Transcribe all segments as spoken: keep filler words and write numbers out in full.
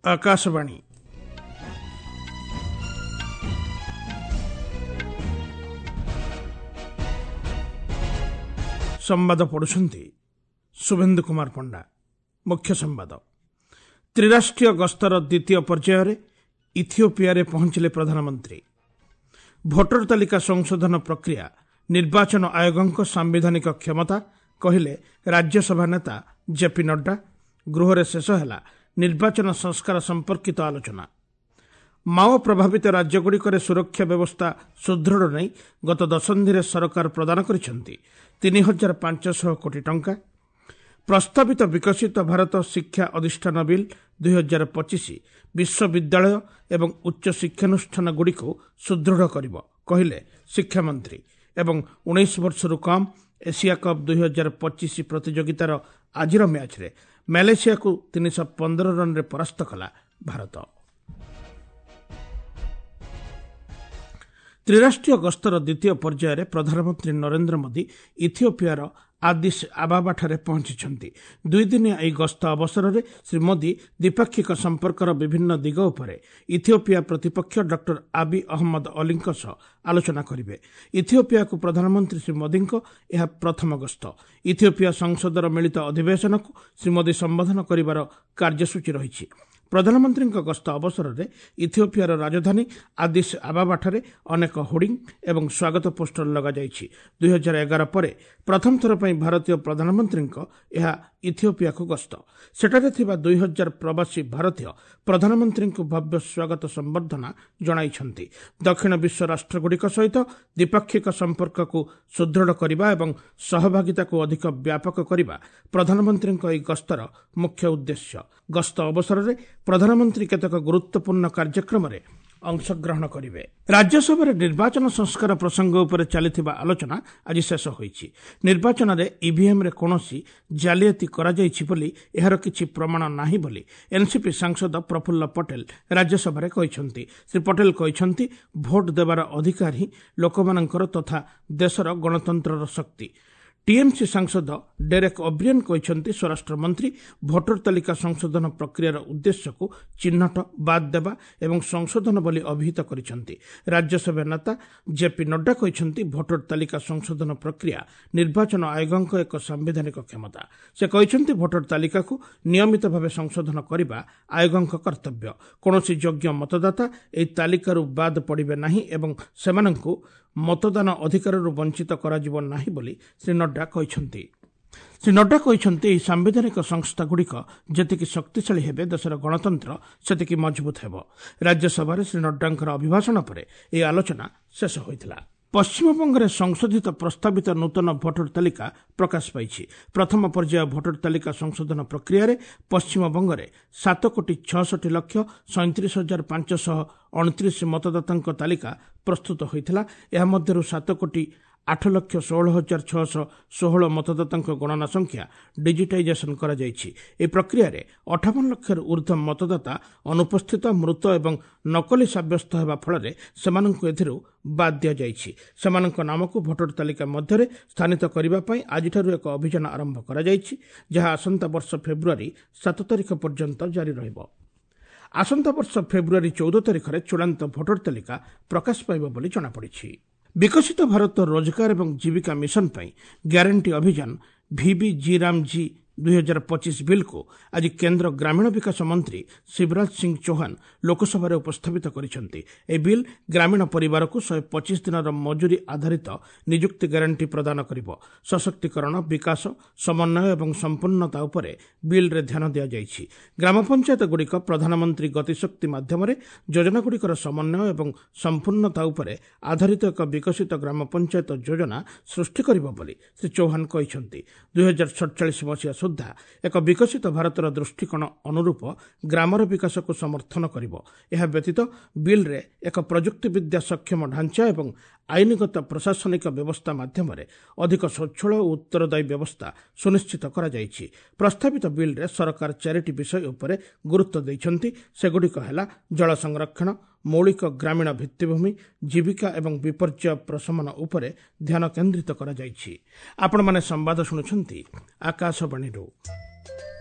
ଆକାଶବାଣୀ। ସମ୍ବାଦ ପଢୁଛନ୍ତି ଶୁଭେନ୍ଦୁ କୁମାର ପଣ୍ଡା। ମୁଖ୍ୟ ସମ୍ବାଦ। ତ୍ରିରାଷ୍ଟ୍ରୀୟ ଗସ୍ତର ଦ୍ୱିତୀୟ ପର୍ଯ୍ୟାୟରେ ଇଥିଓପିଆରେ ପହଞ୍ଚିଲେ ପ୍ରଧାନମନ୍ତ୍ରୀ। ଭୋଟର ତାଲିକା ସଂଶୋଧନ ପ୍ରକ୍ରିୟା ନିର୍ବାଚନ ଆୟୋଗଙ୍କ ସାମ୍ବିଧାନିକ କ୍ଷମତା, କହିଲେ ରାଜ୍ୟସଭା ନେତା ଜେପି ନଡ୍ଡା। ଗୃହରେ ଶେଷ ହେଲା ନିର୍ବାଚନ ସଂସ୍କାର ସମ୍ପର୍କିତ ଆଲୋଚନା। ମାଓ ପ୍ରଭାବିତ ରାଜ୍ୟଗୁଡ଼ିକରେ ସୁରକ୍ଷା ବ୍ୟବସ୍ଥା ସୁଦୃଢ଼ ନେଇ ଗତ ଦଶନ୍ଧିରେ ସରକାର ପ୍ରଦାନ କରିଛନ୍ତି ତିନି ହଜାର ପାଞ୍ଚଶହ କୋଟି ଟଙ୍କା। ପ୍ରସ୍ତାବିତ ବିକଶିତ ଭାରତ ଶିକ୍ଷା ଅଧିଷ୍ଠାନ ବିଲ୍ ଦୁଇ ହଜାର ପଚିଶ ବିଶ୍ୱବିଦ୍ୟାଳୟ ଏବଂ ଉଚ୍ଚ ଶିକ୍ଷାନୁଷ୍ଠାନଗୁଡ଼ିକୁ ସୁଦୃଢ଼ କରିବ, କହିଲେ ଶିକ୍ଷାମନ୍ତ୍ରୀ। ଏବଂ ଉଣେଇଶ ବର୍ଷରୁ କମ୍ ଏସିଆ କପ୍ ଦୁଇ ହଜାର ପଚିଶ ପ୍ରତିଯୋଗିତାର ଆଜିର ମ୍ୟାଚ୍ରେ ମାଲେସିଆକୁ ତିନିଶହ ପନ୍ଦର ରନ୍ରେ ପରାସ୍ତ କଲା ଭାରତ। ତ୍ରିରାଷ୍ଟ୍ରୀୟ ଗସ୍ତର ଦ୍ୱିତୀୟ ପର୍ଯ୍ୟାୟରେ ପ୍ରଧାନମନ୍ତ୍ରୀ ନରେନ୍ଦ୍ର ମୋଦି ଇଥିଓପିଆର ଆଦିସ୍ ଆବାବାଠାରେ ପହଞ୍ଚିଛନ୍ତି। ଦୁଇଦିନିଆ ଏହି ଗସ୍ତ ଅବସରରେ ଶ୍ରୀ ମୋଦି ଦ୍ୱିପାକ୍ଷିକ ସମ୍ପର୍କର ବିଭିନ୍ନ ଦିଗ ଉପରେ ଇଥିଓପିଆ ପ୍ରତିପକ୍ଷ ଡକ୍ଟର ଆବି ଅହମ୍ମଦ ଅଲିଙ୍କ ସହ ଆଲୋଚନା କରିବେ। ଇଥିଓପିଆକୁ ପ୍ରଧାନମନ୍ତ୍ରୀ ଶ୍ରୀ ମୋଦିଙ୍କ ଏହା ପ୍ରଥମ ଗସ୍ତ। ଇଥିଓପିଆ ସଂସଦର ମିଳିତ ଅଧିବେଶନକୁ ଶ୍ରୀ ମୋଦି ସମ୍ବୋଧନ କରିବାର କାର୍ଯ୍ୟସୂଚୀ ରହିଛି। ପ୍ରଧାନମନ୍ତ୍ରୀଙ୍କ ଗସ୍ତ ଅବସରରେ ଇଥିଓପିଆର ରାଜଧାନୀ ଆଦିସ୍ ଆବାବାଠାରେ ଅନେକ ହୋର୍ଡିଂ ଏବଂ ସ୍ୱାଗତ ପୋଷ୍ଟର ଲଗାଯାଇଛି। ଦୁଇ ହଜାର ଏଗାର ପରେ ପ୍ରଥମ ଥର ପାଇଁ ଭାରତୀୟ ପ୍ରଧାନମନ୍ତ୍ରୀଙ୍କ ଏହା ଇଥିଓପିଆକୁ ଗସ୍ତ। ସେଠାରେ ଥିବା ଦୁଇ ହଜାର ପ୍ରବାସୀ ଭାରତୀୟ ପ୍ରଧାନମନ୍ତ୍ରୀଙ୍କୁ ଭବ୍ୟ ସ୍ୱାଗତ ସମ୍ବର୍ଦ୍ଧନା ଜଣାଇଛନ୍ତି। ଦକ୍ଷିଣ ବିଶ୍ୱ ରାଷ୍ଟ୍ରଗୁଡ଼ିକ ସହିତ ଦ୍ୱିପାକ୍ଷିକ ସମ୍ପର୍କକୁ ସୁଦୃଢ଼ କରିବା ଏବଂ ସହଭାଗିତାକୁ ଅଧିକ ବ୍ୟାପକ କରିବା ପ୍ରଧାନମନ୍ତ୍ରୀଙ୍କ ଏହି ଗସ୍ତର ମୁଖ୍ୟ ଉଦ୍ଦେଶ୍ୟ। ଗସ୍ତ ଅବସରରେ ପ୍ରଧାନମନ୍ତ୍ରୀ କେତେକ ଗୁରୁତ୍ୱପୂର୍ଣ୍ଣ କାର୍ଯ୍ୟକ୍ରମରେ ଅଂଶଗ୍ରହଣ କରିବେ। ରାଜ୍ୟସଭାରେ ନିର୍ବାଚନ ସଂସ୍କାର ପ୍ରସଙ୍ଗ ଉପରେ ଚାଲିଥିବା ଆଲୋଚନା ଆଜି ଶେଷ ହୋଇଛି। ନିର୍ବାଚନରେ ଇଭିଏମ୍ରେ କୌଣସି ଜାଲିଆତି କରାଯାଇଛି ବୋଲି ଏହାର କିଛି ପ୍ରମାଣ ନାହିଁ ବୋଲି ଏନ୍ସିପି ସାଂସଦ ପ୍ରଫୁଲ୍ଲ ପଟେଲ ରାଜ୍ୟସଭାରେ କହିଛନ୍ତି। ଶ୍ରୀ ପଟେଲ କହିଛନ୍ତି, ଭୋଟ ଦେବାର ଅଧିକାର ହିଁ ଲୋକମାନଙ୍କର ତଥା ଦେଶର ଗଣତନ୍ତ୍ରର ଶକ୍ତି। ଟିଏମ୍ସି ସାଂସଦ ଡେରେକ୍ ଓବ୍ରିଏନ୍ କହିଛନ୍ତି, ସ୍ୱରାଷ୍ଟ୍ରମନ୍ତ୍ରୀ ଭୋଟର ତାଲିକା ସଂଶୋଧନ ପ୍ରକ୍ରିୟାର ଉଦ୍ଦେଶ୍ୟକୁ ଚିହ୍ନଟ, ବାଦ୍ ଦେବା ଏବଂ ସଂଶୋଧନ ବୋଲି ଅଭିହିତ କରିଛନ୍ତି। ରାଜ୍ୟସଭା ନେତା ଜେପି ନଡ୍ଡା କହିଛନ୍ତି, ଭୋଟର ତାଲିକା ସଂଶୋଧନ ପ୍ରକ୍ରିୟା ନିର୍ବାଚନ ଆୟୋଗଙ୍କ ଏକ ସାମ୍ବିଧାନିକ କ୍ଷମତା। ସେ କହିଛନ୍ତି, ଭୋଟର ତାଲିକାକୁ ନିୟମିତ ଭାବେ ସଂଶୋଧନ କରିବା ଆୟୋଗଙ୍କ କର୍ତ୍ତବ୍ୟ। କୌଣସି ଯୋଗ୍ୟ ମତଦାତା ଏହି ତାଲିକାରୁ ବାଦ୍ ପଡ଼ିବେ ନାହିଁ ଏବଂ ସେମାନଙ୍କୁ ମତଦାନ ଅଧିକାରରୁ ବଞ୍ଚିତ କରାଯିବ ନାହିଁ ବୋଲି ଶ୍ରୀ ନଡ୍ଡା କହିଛନ୍ତି। ଶ୍ରୀ ନଡ୍ଡା କହିଛନ୍ତି, ଏହି ସାମ୍ବିଧାନିକ ସଂସ୍ଥାଗୁଡ଼ିକ ଯେତିକି ଶକ୍ତିଶାଳୀ ହେବେ ଦେଶର ଗଣତନ୍ତ୍ର ସେତିକି ମଜବୁତ ହେବ। ରାଜ୍ୟସଭାରେ ଶ୍ରୀ ନଡ୍ଡାଙ୍କର ଅଭିଭାଷଣ ପରେ ଏହି ଆଲୋଚନା ଶେଷ ହୋଇଥିଲା। ପଶ୍ଚିମବଙ୍ଗରେ ସଂଶୋଧିତ ପ୍ରସ୍ତାବିତ ନୂତନ ଭୋଟର ତାଲିକା ପ୍ରକାଶ ପାଇଛି। ପ୍ରଥମ ପର୍ଯ୍ୟାୟ ଭୋଟର ତାଲିକା ସଂଶୋଧନ ପ୍ରକ୍ରିୟାରେ ପଶ୍ଚିମବଙ୍ଗରେ ସାତ କୋଟି ଛଅଷଠି ଲକ୍ଷ ସଇଁତିରିଶ ହଜାର ପାଞ୍ଚଶହ ଅଣତିରିଶ ମତଦାତାଙ୍କ ତାଲିକା ପ୍ରସ୍ତୁତ ହୋଇଥିଲା। ଏହା ମଧ୍ୟରୁ ସାତ କୋଟି ଆଠ ଲକ୍ଷ ଷୋହଳ ହଜାର ଛଅଶହ ଷୋହଳ ମତଦାତାଙ୍କ ଗଣନା ସଂଖ୍ୟା ଡିଜିଟାଇଜେସନ କରାଯାଇଛି। ଏହି ପ୍ରକ୍ରିୟାରେ ଅଠାବନ ଲକ୍ଷରୁ ଉର୍ଦ୍ଧ୍ୱ ମତଦାତା ଅନୁପସ୍ଥିତ, ମୃତ ଏବଂ ନକଲି ସାବ୍ୟସ୍ତ ହେବା ଫଳରେ ସେମାନଙ୍କୁ ଏଥିରୁ ବାଦ୍ ଦିଆଯାଇଛି। ସେମାନଙ୍କ ନାମକୁ ଭୋଟର ତାଲିକା ମଧ୍ୟରେ ସ୍ଥାନିତ କରିବା ପାଇଁ ଆଜିଠାରୁ ଏକ ଅଭିଯାନ ଆରମ୍ଭ କରାଯାଇଛି, ଯାହା ଆସନ୍ତା ବର୍ଷ ଫେବୃଆରୀ ସାତ ତାରିଖ ପର୍ଯ୍ୟନ୍ତ ଜାରି ରହିବ। ଆସନ୍ତା ବର୍ଷ ଫେବୃଆରୀ ଚଉଦ ତାରିଖରେ ଚୂଡ଼ାନ୍ତ ଭୋଟର ତାଲିକା ପ୍ରକାଶ ପାଇବ ବୋଲି ଜଣାପଡ଼ିଛି। ବିକଶିତ ଭାରତ ରୋଜଗାର ଏବଂ ଜୀବିକା ମିଶନ ପାଇଁ ଗ୍ୟାରେଣ୍ଟି ଅଭିଯାନ ଭିବି ଜି ରାମ ଜି ଦୁଇ ହଜାର ପଚିଶ ବିଲ୍କୁ ଆଜି କେନ୍ଦ୍ର ଗ୍ରାମୀଣ ବିକାଶ ମନ୍ତ୍ରୀ ଶିବରାଜ ସିଂ ଚୌହାନ ଲୋକସଭାରେ ଉପସ୍ଥାପିତ କରିଛନ୍ତି। ଏହି ବିଲ୍ ଗ୍ରାମୀଣ ପରିବାରକୁ ଶହେ ପଚିଶ ଦିନର ମଜୁରୀ ଆଧାରିତ ନିଯୁକ୍ତି ଗ୍ୟାରେଣ୍ଟି ପ୍ରଦାନ କରିବ। ସଶକ୍ତିକରଣ, ବିକାଶ, ସମନ୍ୱୟ ଏବଂ ସମ୍ପୂର୍ଣ୍ଣତା ଉପରେ ବିଲ୍ରେ ଧ୍ୟାନ ଦିଆଯାଇଛି। ଗ୍ରାମ ପଞ୍ଚାୟତଗୁଡ଼ିକ ପ୍ରଧାନମନ୍ତ୍ରୀ ଗତିଶକ୍ତି ମାଧ୍ୟମରେ ଯୋଜନାଗୁଡ଼ିକର ସମନ୍ୱୟ ଏବଂ ସମ୍ପୂର୍ଣ୍ଣତା ଉପରେ ଆଧାରିତ ଏକ ବିକଶିତ ଗ୍ରାମ ପଞ୍ଚାୟତ ଯୋଜନା ସୃଷ୍ଟି କରିବ ବୋଲି ଶ୍ରୀ ଚୌହାନ କହିଛନ୍ତି। ଦୁଇ ହଜାର ସଡ଼ଚାଳିଶ ମସିହା ସୁଦ୍ଧା ଏକ ବିକଶିତ ଭାରତର ଦୃଷ୍ଟିକୋଣ ଅନୁରୂପ ଗ୍ରାମର ବିକାଶକୁ ସମର୍ଥନ କରିବ। ଏହା ବ୍ୟତୀତ ବିଲ୍ରେ ଏକ ପ୍ରଯୁକ୍ତିବିଦ୍ୟା ସକ୍ଷମ ଢାଞ୍ଚା ଏବଂ ଆଇନଗତ ପ୍ରଶାସନିକ ବ୍ୟବସ୍ଥା ମାଧ୍ୟମରେ ଅଧିକ ସ୍ୱଚ୍ଛଳ ଓ ଉତ୍ତରଦାୟୀ ବ୍ୟବସ୍ଥା ସୁନିଶ୍ଚିତ କରାଯାଇଛି। ପ୍ରସ୍ତାବିତ ବିଲ୍ରେ ସରକାର ଚାରିଟି ବିଷୟ ଉପରେ ଗୁରୁତ୍ୱ ଦେଇଛନ୍ତି। ସେଗୁଡ଼ିକ ହେଲା ଜଳ ସଂରକ୍ଷଣ, ମୌଳିକ ଗ୍ରାମୀଣ ଭିତ୍ତିଭୂମି, ଜୀବିକା ଏବଂ ବିପର୍ଯ୍ୟୟ ପ୍ରଶମନ ଉପରେ ଧ୍ୟାନ କେନ୍ଦ୍ରିତ କରାଯାଇଛି। ଆପଣମାନେ ସମ୍ବାଦ ଶୁଣୁଛନ୍ତି ଆକାଶବାଣୀରୁ।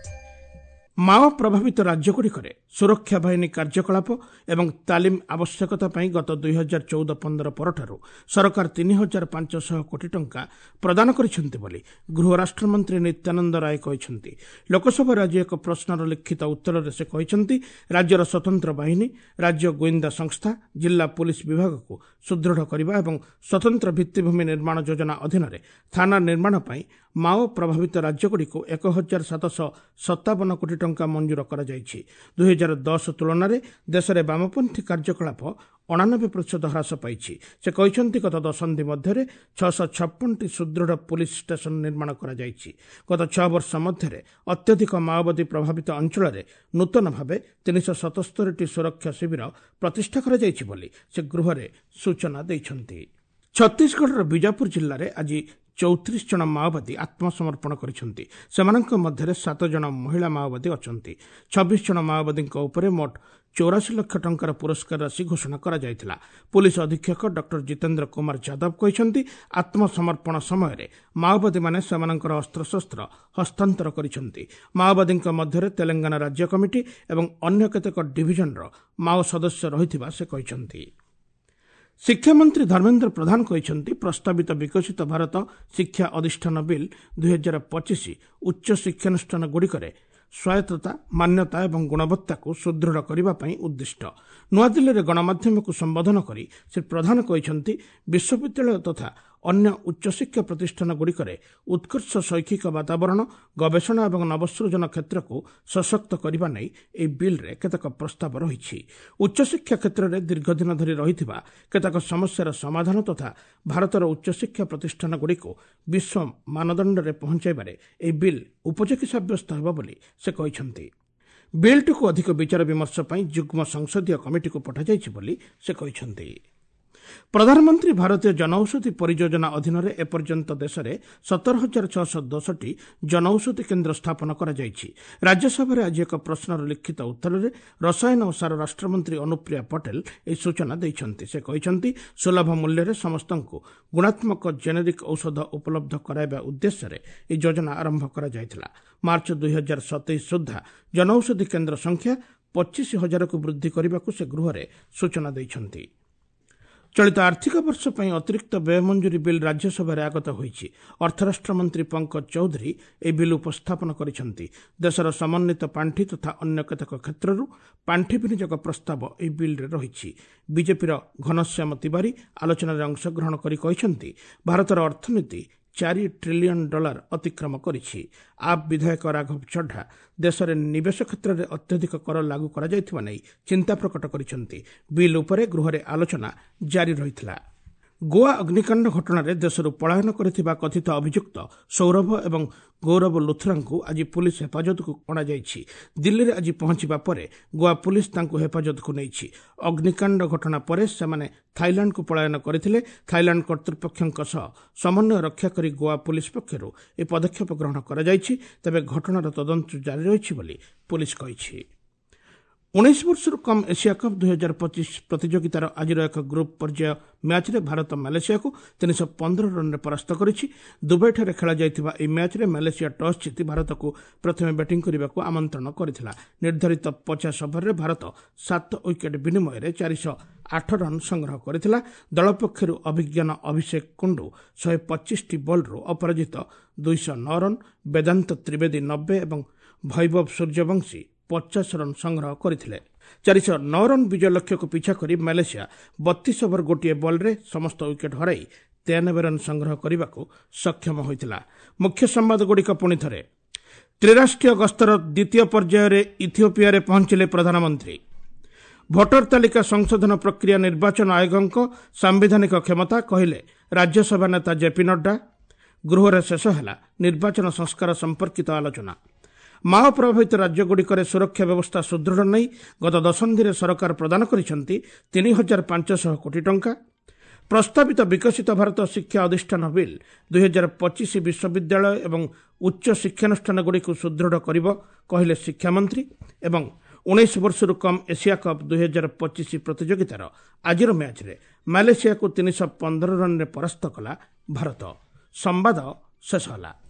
ମାଓ ପ୍ରଭାବିତ ରାଜ୍ୟଗୁଡ଼ିକରେ ସୁରକ୍ଷା ବାହିନୀ କାର୍ଯ୍ୟକଳାପ ଏବଂ ତାଲିମ ଆବଶ୍ୟକତା ପାଇଁ ଗତ ଦୁଇ ହଜାର ଚଉଦ ପନ୍ଦର ପରଠାରୁ ସରକାର ତିନି ହଜାର ପାଞ୍ଚଶହ କୋଟି ଟଙ୍କା ପ୍ରଦାନ କରିଛନ୍ତି ବୋଲି ଗୃହ ରାଷ୍ଟ୍ରମନ୍ତ୍ରୀ ନିତ୍ୟାନନ୍ଦ ରାୟ କହିଛନ୍ତି। ଲୋକସଭାରେ ଆଜି ଏକ ପ୍ରଶ୍ନର ଲିଖିତ ଉତ୍ତରରେ ସେ କହିଛନ୍ତି, ରାଜ୍ୟର ସ୍ୱତନ୍ତ୍ର ବାହିନୀ, ରାଜ୍ୟ ଗୁଇନ୍ଦା ସଂସ୍ଥା, ଜିଲ୍ଲା ପୁଲିସ୍ ବିଭାଗକୁ ସୁଦୃଢ଼ କରିବା ଏବଂ ସ୍ୱତନ୍ତ୍ର ଭିତ୍ତିଭୂମି ନିର୍ମାଣ ଯୋଜନା ଅଧୀନରେ ଥାନା ନିର୍ମାଣ ପାଇଁ ମାଓ ପ୍ରଭାବିତ ରାଜ୍ୟଗୁଡ଼ିକୁ ଏକ ହଜାର ସାତଶହ ସତାବନ କୋଟି ଟଙ୍କା ମଞ୍ଜୁର କରାଯାଇଛି। ଦୁଇ ହଜାର ଦଶ ତୁଳନାରେ ଦେଶରେ ବାମପନ୍ଥୀ କାର୍ଯ୍ୟକଳାପ ଅଣାନବେ ପ୍ରତିଶତ ହ୍ରାସ ପାଇଛି। ସେ କହିଛନ୍ତି, ଗତ ଦଶନ୍ଧି ମଧ୍ୟରେ ଛଅଶହ ଛପନଟି ସୁଦୃଢ଼ ପୁଲିସ୍ ଷ୍ଟେସନ ନିର୍ମାଣ କରାଯାଇଛି। ଗତ ଛଅ ବର୍ଷ ମଧ୍ୟରେ ଅତ୍ୟଧିକ ମାଓବାଦୀ ପ୍ରଭାବିତ ଅଞ୍ଚଳରେ ନୂତନ ଭାବେ ତିନିଶହ ସତସ୍ତରୀଟି ସୁରକ୍ଷା ଶିବିର ପ୍ରତିଷ୍ଠା କରାଯାଇଛି ବୋଲି ସେ ଗୃହରେ ସୂଚନା ଦେଇଛନ୍ତି। ଛତିଶଗଡ଼ର ବିଜାପୁର ଜିଲ୍ଲାରେ ଆଜି ଚଉତିରିଶ ଜଣ ମାଓବାଦୀ ଆତ୍ମସମର୍ପଣ କରିଛନ୍ତି। ସେମାନଙ୍କ ମଧ୍ୟରେ ସାତ ଜଣ ମହିଳା ମାଓବାଦୀ ଅଛନ୍ତି। ଛବିଶ ଜଣ ମାଓବାଦୀଙ୍କ ଉପରେ ମୋଟ ଚଉରାଶୀ ଲକ୍ଷ ଟଙ୍କାର ପୁରସ୍କାର ରାଶି ଘୋଷଣା କରାଯାଇଥିଲା। ପୁଲିସ୍ ଅଧୀକ୍ଷକ ଡକ୍ଟର ଜିତେନ୍ଦ୍ର କୁମାର ଯାଦବ କହିଛନ୍ତି, ଆତ୍ମସମର୍ପଣ ସମୟରେ ମାଓବାଦୀମାନେ ସେମାନଙ୍କର ଅସ୍ତ୍ରଶସ୍ତ୍ର ହସ୍ତାନ୍ତର କରିଛନ୍ତି। ମାଓବାଦୀଙ୍କ ମଧ୍ୟରେ ତେଲେଙ୍ଗାନା ରାଜ୍ୟ କମିଟି ଏବଂ ଅନ୍ୟ କେତେକ ଡିଭିଜନର ମାଓ ସଦସ୍ୟ ରହିଥିବା ସେ କହିଛନ୍ତି। ଶିକ୍ଷାମନ୍ତ୍ରୀ ଧର୍ମେନ୍ଦ୍ର ପ୍ରଧାନ କହିଛନ୍ତି, ପ୍ରସ୍ତାବିତ ବିକଶିତ ଭାରତ ଶିକ୍ଷା ଅଧିଷ୍ଠାନ ବିଲ୍ ଦୁଇ ହଜାର ପଚିଶ ଉଚ୍ଚ ଶିକ୍ଷାନୁଷ୍ଠାନଗୁଡ଼ିକରେ ସ୍ୱାୟତ୍ତତା, ମାନ୍ୟତା ଏବଂ ଗୁଣବତ୍ତାକୁ ସୁଦୃଢ଼ କରିବା ପାଇଁ ଉଦ୍ଦିଷ୍ଟ। ନୂଆଦିଲ୍ଲୀରେ ଗଣମାଧ୍ୟମକୁ ସମ୍ବୋଧନ କରି ଶ୍ରୀ ପ୍ରଧାନ କହିଛନ୍ତି, ବିଶ୍ୱବିଦ୍ୟାଳୟ ତଥା ଅନ୍ୟ ଉଚ୍ଚଶିକ୍ଷା ପ୍ରତିଷ୍ଠାନଗୁଡ଼ିକରେ ଉତ୍କର୍ଷ ଶୈକ୍ଷିକ ବାତାବରଣ, ଗବେଷଣା ଏବଂ ନବସୃଜନ କ୍ଷେତ୍ରକୁ ସଶକ୍ତ କରିବା ନେଇ ଏହି ବିଲ୍ରେ କେତେକ ପ୍ରସ୍ତାବ ରହିଛି। ଉଚ୍ଚଶିକ୍ଷା କ୍ଷେତ୍ରରେ ଦୀର୍ଘଦିନ ଧରି ରହିଥିବା କେତେକ ସମସ୍ୟାର ସମାଧାନ ତଥା ଭାରତର ଉଚ୍ଚଶିକ୍ଷା ପ୍ରତିଷ୍ଠାନଗୁଡ଼ିକୁ ବିଶ୍ୱ ମାନଦଣ୍ଡରେ ପହଞ୍ଚାଇବାରେ ଏହି ବିଲ୍ ଉପଯୋଗୀ ସାବ୍ୟସ୍ତ ହେବ ବୋଲି ସେ କହିଛନ୍ତି। ବିଲ୍ଟିକୁ ଅଧିକ ବିଚାର ବିମର୍ଶ ପାଇଁ ଯୁଗ୍ମ ସଂସଦୀୟ କମିଟିକୁ ପଠାଯାଇଛି ବୋଲି ସେ କହିଛନ୍ତି। ପ୍ରଧାନମନ୍ତ୍ରୀ ଭାରତୀୟ ଜନଔଷଧି ପରିଯୋଜନା ଅଧୀନରେ ଏପର୍ଯ୍ୟନ୍ତ ଦେଶରେ ସତର ହଜାର ଛଅଶହ ଦଶଟି ଜନଔଷଧି କେନ୍ଦ୍ର ସ୍ଥାପନ କରାଯାଇଛି। ରାଜ୍ୟସଭାରେ ଆଜି ଏକ ପ୍ରଶ୍ନର ଲିଖିତ ଉତ୍ତରରେ ରସାୟନ ଓ ସାର ରାଷ୍ଟ୍ରମନ୍ତ୍ରୀ ଅନୁପ୍ରିୟା ପଟେଲ ଏହି ସୂଚନା ଦେଇଛନ୍ତି। ସେ କହିଛନ୍ତି, ସୁଲଭ ମୂଲ୍ୟରେ ସମସ୍ତଙ୍କୁ ଗୁଣାତ୍ମକ ଜେନେରିକ୍ ଔଷଧ ଉପଲବ୍ଧ କରାଇବା ଉଦ୍ଦେଶ୍ୟରେ ଏହି ଯୋଜନା ଆରମ୍ଭ କରାଯାଇଥିଲା। ମାର୍ଚ୍ଚ ଦୁଇ ହଜାର ସତେଇଶ ସୁଦ୍ଧା ଜନଔଷଧି କେନ୍ଦ୍ର ସଂଖ୍ୟା ପଚିଶ ହଜାରକୁ ବୃଦ୍ଧି କରିବାକୁ ସେ ଗୃହରେ ସୂଚନା ଦେଇଛନ୍ତି। ଚଳିତ ଆର୍ଥିକ ବର୍ଷ ପାଇଁ ଅତିରିକ୍ତ ବ୍ୟୟ ମଞ୍ଜୁରୀ ବିଲ୍ ରାଜ୍ୟସଭାରେ ଆଗତ ହୋଇଛି। ଅର୍ଥରାଷ୍ଟ୍ରମନ୍ତ୍ରୀ ପଙ୍କଜ ଚୌଧୁରୀ ଏହି ବିଲ୍ ଉପସ୍ଥାପନ କରିଛନ୍ତି। ଦେଶର ସମନ୍ୱିତ ପାଣ୍ଠି ତଥା ଅନ୍ୟ କେତେକ କ୍ଷେତ୍ରରୁ ପାଣ୍ଠି ବିନିଯୋଗ ପ୍ରସ୍ତାବ ଏହି ବିଲ୍ରେ ରହିଛି। ବିଜେପିର ଘନଶ୍ୟାମ ତିୱାରୀ ଆଲୋଚନାରେ ଅଂଶଗ୍ରହଣ କରି କହିଛନ୍ତି, ଭାରତର ଅର୍ଥନୀତି ଚାରି ଟ୍ରିଲିୟନ ଡଲାର ଅତିକ୍ରମ କରିଛି। ଆପ୍ ବିଧାୟକ ରାଘବ ଚଢା ଦେଶରେ ନିବେଶ କ୍ଷେତ୍ରରେ ଅତ୍ୟଧିକ କର ଲାଗୁ କରାଯାଇଥିବା ନେଇ ଚିନ୍ତା ପ୍ରକଟ କରିଛନ୍ତି। ବିଲ୍ ଉପରେ ଗୃହରେ ଆଲୋଚନା ଜାରି ରହିଥିଲା। ଗୋଆ ଅଗ୍ନିକାଣ୍ଡ ଘଟଣାରେ ଦେଶରୁ ପଳାୟନ କରିଥିବା କଥିତ ଅଭିଯୁକ୍ତ ସୌରଭ ଏବଂ ଗୌରବ ଲୁଥରାଙ୍କୁ ଆଜି ପୁଲିସ୍ ହେଫାଜତକୁ ଅଣାଯାଇଛି। ଦିଲ୍ଲୀରେ ଆଜି ପହଞ୍ଚିବା ପରେ ଗୋଆ ପୁଲିସ୍ ତାଙ୍କୁ ହେଫାଜତକୁ ନେଇଛି। ଅଗ୍ନିକାଣ୍ଡ ଘଟଣା ପରେ ସେମାନେ ଥାଇଲାଣ୍ଡକୁ ପଳାୟନ କରିଥିଲେ। ଥାଇଲାଣ୍ଡ କର୍ତ୍ତୃପକ୍ଷଙ୍କ ସହ ସମନ୍ୱୟ ରକ୍ଷା କରି ଗୋଆ ପୁଲିସ୍ ପକ୍ଷରୁ ଏହି ପଦକ୍ଷେପ ଗ୍ରହଣ କରାଯାଇଛି। ତେବେ ଘଟଣାର ତଦନ୍ତ ଜାରି ରହିଛି ବୋଲି ପୁଲିସ୍ କହିଛି। ଉଣେଇଶ ବର୍ଷରୁ କମ୍ ଏସିଆ କପ୍ ଦୁଇ ହଜାର ପଚିଶ ପ୍ରତିଯୋଗିତାର ଆଜିର ଏକ ଗ୍ରୁପ୍ ପର୍ଯ୍ୟାୟ ମ୍ୟାଚ୍ରେ ଭାରତ ମାଲେସିଆକୁ ତିନିଶହ ପନ୍ଦର ରନ୍ରେ ପରାସ୍ତ କରିଛି। ଦୁବାଇଠାରେ ଖେଳାଯାଇଥିବା ଏହି ମ୍ୟାଚ୍ରେ ମାଲେସିଆ ଟସ୍ ଜିତି ଭାରତକୁ ପ୍ରଥମେ ବ୍ୟାଟିଂ କରିବାକୁ ଆମନ୍ତ୍ରଣ କରିଥିଲା। ନିର୍ଦ୍ଧାରିତ ପଚାଶ ଓଭରରେ ଭାରତ ସାତ ୱିକେଟ୍ ବିନିମୟରେ ଚାରିଶହ ଆଠ ରନ୍ ସଂଗ୍ରହ କରିଥିଲା। ଦଳ ପକ୍ଷରୁ ଅଭିଜ୍ଞାନ ଅଭିଷେକ କୁଣ୍ଡୁ ଶହେ ପଚିଶଟି ବଲ୍ରୁ ଅପରାଜିତ ଦୁଇଶହ ନଅ ରନ୍, ବେଦାନ୍ତ ତ୍ରିବେଦୀ ନବେ ଏବଂ ଭୈଭବ ସୂର୍ଯ୍ୟବଂଶୀ ପଚାଶ ରନ୍ ସଂଗ୍ରହ କରିଥିଲେ। ଚାରିଶହ ନଅ ରନ୍ ବିଜୟ ଲକ୍ଷ୍ୟକୁ ପିଛା କରି ମାଲେସିଆ ବତିଶ ଓଭର ଗୋଟିଏ ବଲ୍ରେ ସମସ୍ତ ୱିକେଟ୍ ହରାଇ ତେୟାନବେ ରନ୍ ସଂଗ୍ରହ କରିବାକୁ ସକ୍ଷମ ହୋଇଥିଲା। ମୁଖ୍ୟ ସମ୍ବାଦଗୁଡ଼ିକ ପୁଣି ଥରେ। ତ୍ରିରାଷ୍ଟ୍ରୀୟ ଗସ୍ତର ଦ୍ୱିତୀୟ ପର୍ଯ୍ୟାୟରେ ଇଥିଓପିଆରେ ପହଞ୍ଚିଲେ ପ୍ରଧାନମନ୍ତ୍ରୀ। ଭୋଟର ତାଲିକା ସଂଶୋଧନ ପ୍ରକ୍ରିୟା ନିର୍ବାଚନ ଆୟୋଗଙ୍କ ସାମ୍ବିଧାନିକ କ୍ଷମତା, କହିଲେ ରାଜ୍ୟସଭା ନେତା ଜେପି ନଡ୍ଡା। ଗୃହରେ ଶେଷ ହେଲା ନିର୍ବାଚନ ସଂସ୍କାର ସମ୍ପର୍କିତ ଆଲୋଚନା। ମାଓ ପ୍ରଭାବିତ ରାଜ୍ୟଗୁଡ଼ିକରେ ସୁରକ୍ଷା ବ୍ୟବସ୍ଥା ସୁଦୃଢ଼ ନେଇ ଗତ ଦଶନ୍ଧିରେ ସରକାର ପ୍ରଦାନ କରିଛନ୍ତି ତିନି ହଜାର ପାଞ୍ଚଶହ କୋଟି ଟଙ୍କା। ପ୍ରସ୍ତାବିତ ବିକଶିତ ଭାରତ ଶିକ୍ଷା ଅଧିଷ୍ଠାନ ବିଲ୍ ଦୁଇ ହଜାର ପଚିଶ ବିଶ୍ୱବିଦ୍ୟାଳୟ ଏବଂ ଉଚ୍ଚ ଶିକ୍ଷାନୁଷ୍ଠାନଗୁଡ଼ିକୁ ସୁଦୃଢ଼ କରିବ, କହିଲେ ଶିକ୍ଷାମନ୍ତ୍ରୀ। ଏବଂ ଉଣେଇଶ ବର୍ଷରୁ କମ୍ ଏସିଆ କପ୍ ଦୁଇ ହଜାର ପଚିଶ ପ୍ରତିଯୋଗିତାର ଆଜିର ମ୍ୟାଚ୍ରେ ମାଲେସିଆକୁ ତିନିଶହ ପନ୍ଦର ରନ୍ରେ ପରାସ୍ତ କଲା ଭାରତ। ସମ୍ବାଦ ଶେଷ ହେଲା।